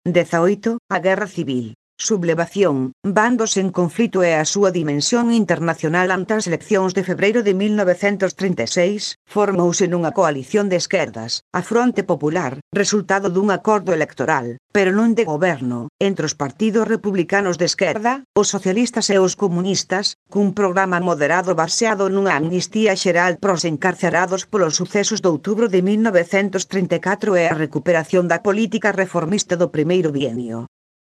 18. A Guerra Civil. Sublevación, bandos en conflito e a súa dimensión internacional. Ante as eleccións de febreiro de 1936, formouse nunha coalición de esquerdas, a Fronte Popular, resultado dun acordo electoral, pero non de goberno, entre os partidos republicanos de esquerda, os socialistas e os comunistas, cun programa moderado baseado nunha amnistía xeral pros encarcerados polos sucesos de outubro de 1934 e a recuperación da política reformista do primeiro bienio.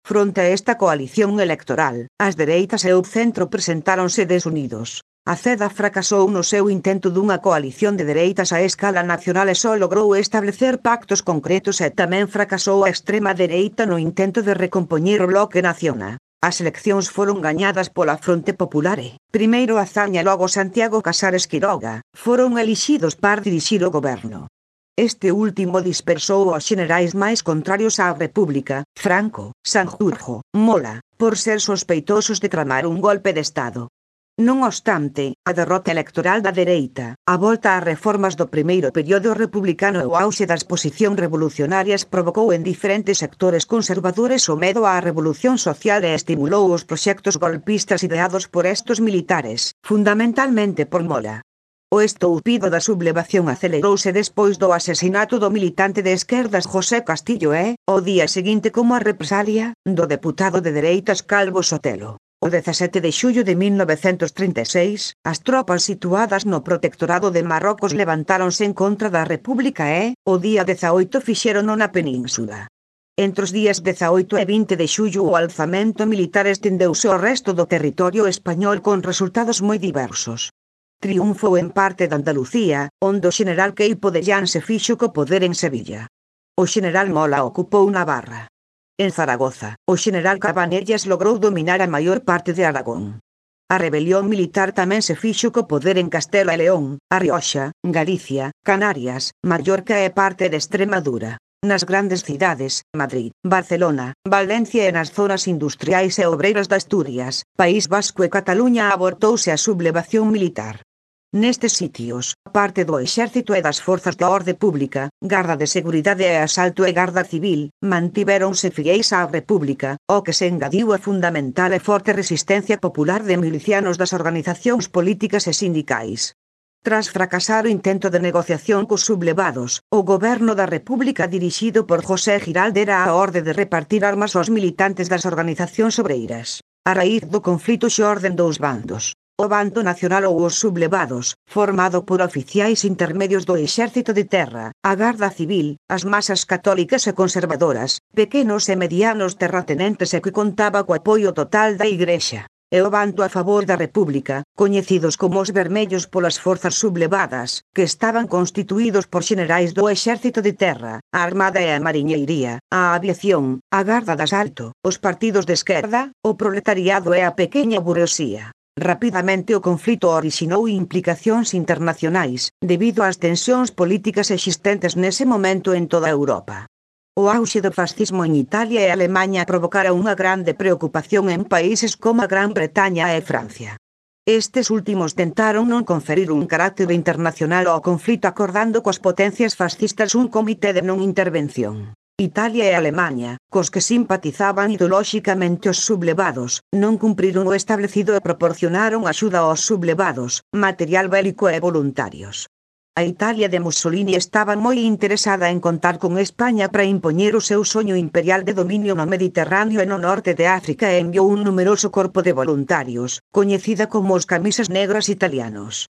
Fronte a esta coalición electoral, as dereitas e o centro presentáronse desunidos. A CEDA fracasou no seu intento dunha coalición de dereitas a escala nacional e só logrou establecer pactos concretos e tamén fracasou a extrema dereita no intento de recompoñer o Bloque Nacional. As eleccións foron gañadas pola Fronte Popular e, primeiro Azaña e logo Santiago Casares Quiroga, foron elixidos para dirixir o goberno. Este último dispersou aos xenerais máis contrarios á República, Franco, Sanjurjo, Mola, por ser sospeitosos de tramar un golpe de Estado. Non obstante, a derrota electoral da dereita, a volta ás reformas do primeiro período republicano e o auxe das posicións revolucionarias provocou en diferentes sectores conservadores o medo á revolución social e estimulou os proxectos golpistas ideados por estos militares, fundamentalmente por Mola. O estoupido da sublevación acelerouse despois do asesinato do militante de esquerdas José Castillo e, ao día seguinte como a represalia, do deputado de dereitas Calvo Sotelo. O 17 de xullo de 1936, as tropas situadas no protectorado de Marrocos levantáronse en contra da República e, o día 18 fixérono na península. Entre os días 18 e 20 de xullo o alzamento militar estendeuse ao resto do territorio español con resultados moi diversos. Triunfou en parte de Andalucía, onde o xeneral Queipo de Llán se fixo co poder en Sevilla. O xeneral Mola ocupou Navarra. En Zaragoza, o xeneral Cabanellas logrou dominar a maior parte de Aragón. A rebelión militar tamén se fixo co poder en Castela e León, A Rioxa, Galicia, Canarias, Mallorca e parte de Extremadura. Nas grandes cidades, Madrid, Barcelona, Valencia e nas zonas industriais e obreiras de Asturias, País Vasco e Cataluña abortouse a sublevación militar. Nestes sitios, parte do exército e das forzas da orde pública, garda de seguridade e asalto e garda civil, mantivéronse fieis á República, ao que se engadiu a fundamental e forte resistencia popular de milicianos das organizacións políticas e sindicais. Tras fracasar o intento de negociación cos sublevados, o goberno da República dirixido por José Giral dera a orde de repartir armas aos militantes das organizacións obreiras. A raíz do conflito xorden dous bandos. O bando nacional ou os sublevados, formado por oficiais intermedios do exército de terra, a garda civil, as masas católicas e conservadoras, pequenos e medianos terratenentes e que contaba co apoio total da Igrexa. E o bando a favor da República, coñecidos como os vermellos polas forzas sublevadas, que estaban constituídos por xenerais do exército de terra, a armada e a mariñeiría, a aviación, a garda de asalto, os partidos de esquerda, o proletariado e a pequena burguesía. Rapidamente o conflito orixinou implicacións internacionais, debido ás tensións políticas existentes nese momento en toda Europa. O auxe do fascismo en Italia e Alemaña provocara unha grande preocupación en países como a Gran Bretaña e Francia. Estes últimos tentaron non conferir un carácter internacional ao conflito acordando coas potencias fascistas un comité de non intervención. Italia e Alemaña, cos que simpatizaban ideolóxicamente os sublevados, non cumpriron o establecido e proporcionaron axuda aos sublevados, material bélico e voluntarios. A Italia de Mussolini estaba moi interesada en contar con España para impoñer o seu soño imperial de dominio no Mediterráneo e no norte de África e enviou un numeroso corpo de voluntarios, coñecida como os camisas negras italianos.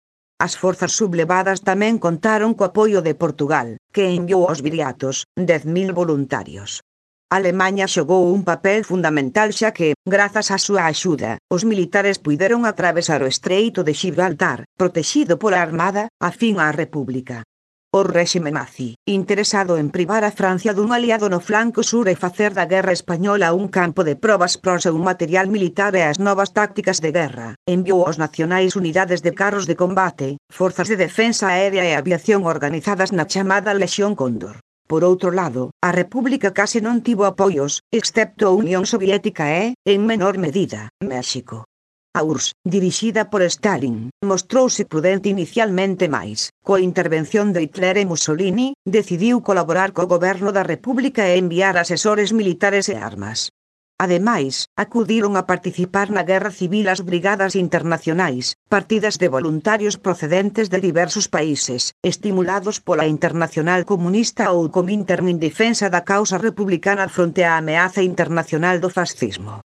As forzas sublevadas tamén contaron co apoio de Portugal, que enviou aos viriatos 10.000 voluntarios. Alemaña xogou un papel fundamental xa que, grazas á súa axuda, os militares puideron atravesar o Estreito de Gibraltar, protexido pola Armada, afín á República. O réxime nazi, interesado en privar a Francia dun aliado no flanco sur e facer da guerra española un campo de probas para o seu material militar e as novas tácticas de guerra, enviou aos nacionais unidades de carros de combate, forzas de defensa aérea e aviación organizadas na chamada Lexión Cóndor. Por outro lado, a República case non tivo apoios, excepto a Unión Soviética e, en menor medida, México. A URSS, dirixida por Stalin, mostrouse prudente inicialmente mais, coa intervención de Hitler e Mussolini, decidiu colaborar co goberno da República e enviar asesores militares e armas. Ademais, acudiron a participar na Guerra Civil as brigadas internacionais, partidas de voluntarios procedentes de diversos países, estimulados pola Internacional Comunista ou Comintern en defensa da causa republicana fronte á ameaza internacional do fascismo.